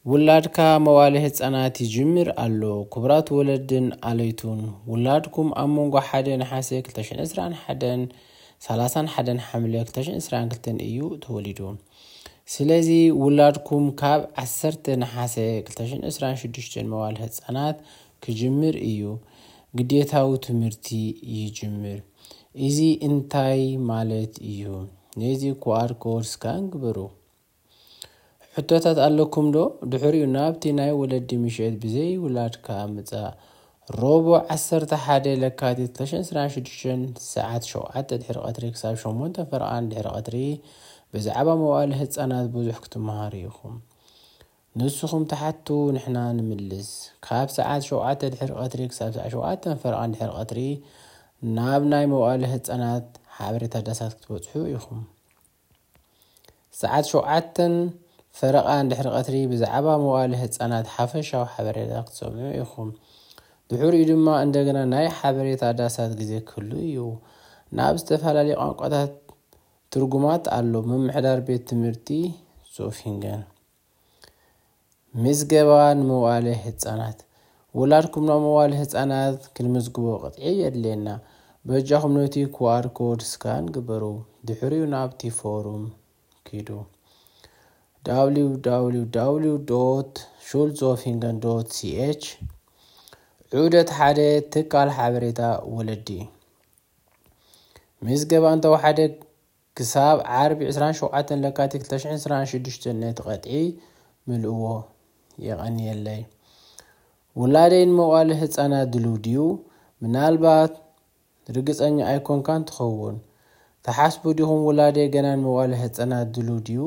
ውላድካ መዋለ ህጻናት ይጅምር ኣሎ። ክቡራት ወለድን ኣለይቱን፣ ውላድኩም ኣብ መንጎ ሓደ ነሓሰ ክልተ ሽሕን ዕስራን ሓደን፣ ሰላሳን ሓደን ሓምለ ክልተ ሽሕን ዕስራን ክልተን እዩ ተወሊዱ። ስለዚ ውላድኩም ካብ ዓሰርተ ነሓሰ ክልተ ሽሕን ዕስራን ሽዱሽተን መዋለ ህጻናት ክጅምር እዩ። ግዴታዊ ትምህርቲ ይጅምር። እዚ እንታይ ማለት እዩ? ነዚ ኩኣር ኮድ ስካን ግበሩ። ሕቶታት ኣለኩም ዶ? ድሕሪኡ ናብቲ ናይ ወለዲ ምሸት ብዘይ ውላድካ ምጻእ። ረቡዕ ዓሰርተ ሓደ ለካቲት ክልተ ሽሕን ዕስራን ሽዱሽተን ሰዓት ሸውዓተ ድሕሪ ቀትሪ ክሳብ ሸሞንተ ፈረቓን ድሕሪ ቀትሪ ብዛዕባ መዋእለ ህጻናት ብዙሕ ክትመሃሩ ኢኹም። ንስኹም ትሓቱ፣ ንሕና ንምልስ። ካብ ሰዓት ሸውዓተ ድሕሪ ቀትሪ ክሳብ ሰዓት ሸውዓተን ፈረቓን ድሕሪ ቀትሪ ናብ ናይ መዋእለ ህጻናት ሓበሬታ ዳሳት ክትበጽሑ ኢኹም። ሰዓት ሸውዓተን ፈረቓን ድሕሪ ቀትሪ ብዛዕባ መዋእለ ህጻናት ሓፈሻዊ ሓበሬታ ክትሰምዑ ኢኹም። ድሕሪኡ ድማ እንደገና ናይ ሓበሬታ ዳሳት ግዜ ክህሉ እዩ። ናብ ዝተፈላለዩ ቋንቋታት ትርጉማት ኣሎ። ምምሕዳር ቤት ትምህርቲ ዞፊንገን። ምዝገባ ንመዋእለ ህጻናት። ውላድኩም ናብ መዋእለ ህጻናት ክንምዝግቦ ቅጥዒ የድልየና። በጃኹም ነቲ ኩኣር ኮድ ስካን ግበሩ። ድሕሪኡ ናብቲ ፎርም ኪዱ። www.schulzofingen.ch። ዑደት ሓደ፣ ትካል ሓበሬታ ወለዲ። ምዝገባ እንተወሓደ ክሳብ ዓርቢ ዕስራን ሸውዓተን ለካቲት ክልተ ሽሕን ዕስራን ሽዱሽተን ነቲ ቀጥዒ ምልእዎ። የቐንየለይ። ውላደይ ንመዋእለ ህጻናት ድሉው ድዩ? ምናልባት ርግጸኛ ኣይኮንካን ትኸውን። ትሓስቡ ዲኹም ውላደይ ገና ንመዋእለ ህጻናት ድሉው ድዩ?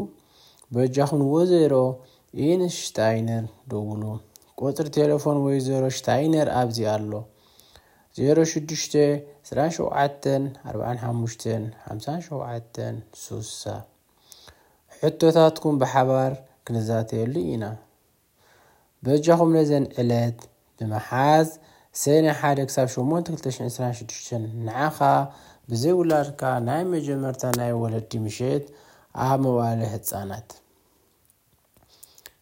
በጃኹም ንወይዘሮ ኢንሽታይነር ደውሉ። ቁጽሪ ቴሌፎን ወይዘሮ ሽታይነር ኣብዚ ኣሎ። ዜሮ ሽዱሽተ ዕስራን ሸውዓተን ኣርባዓን ሓሙሽተን ሓምሳን ሸውዓተን ሱሳ። ሕቶታትኩም ብሓባር ክንዛተየሉ ኢና። በጃኹም ነዘን ዕለት ብምሓዝ ሰኔ ሓደ ክሳብ ሸሞንተ ክልተ ሽሕን ዕስራን ሽዱሽተን ንዓኻ ብዘይ ውላድካ ናይ መጀመርታ ናይ ወለዲ ምሸት ኣብ መዋእለ ህጻናት።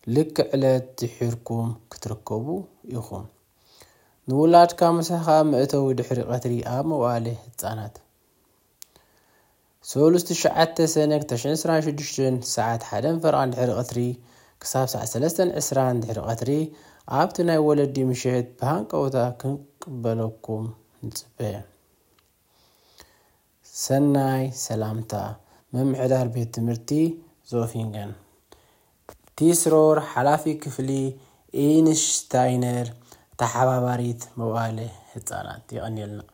ልክዕ ዕለት ድሒርኩም ክትርከቡ ኢኹም። ንውላድካ ምሳኻ መእተዊ ድሕሪ ቀትሪ ኣብ መዋእለ ህጻናት። ሰሉስ ትሽዓተ ሰነ ክልተ ሽሕን ዕስራን ሽዱሽተን ሰዓት ሓደን ፈረቓን ድሕሪ ቀትሪ ክሳብ ሰዓት ሰለስተን ዕስራን ድሕሪ ቀትሪ ኣብቲ ናይ ወለዲ ምሸት ብሃንቀውታ ክንቅበለኩም ንጽበ። ሰናይ ሰላምታ። ምምሕዳር ቤት ትምህርቲ ዞፊንገን። ቲስሮር ሓላፊ ክፍሊ ኢንሽታይነር ተሓባባሪት መዋእለ ህጻናት። የቐንየልና።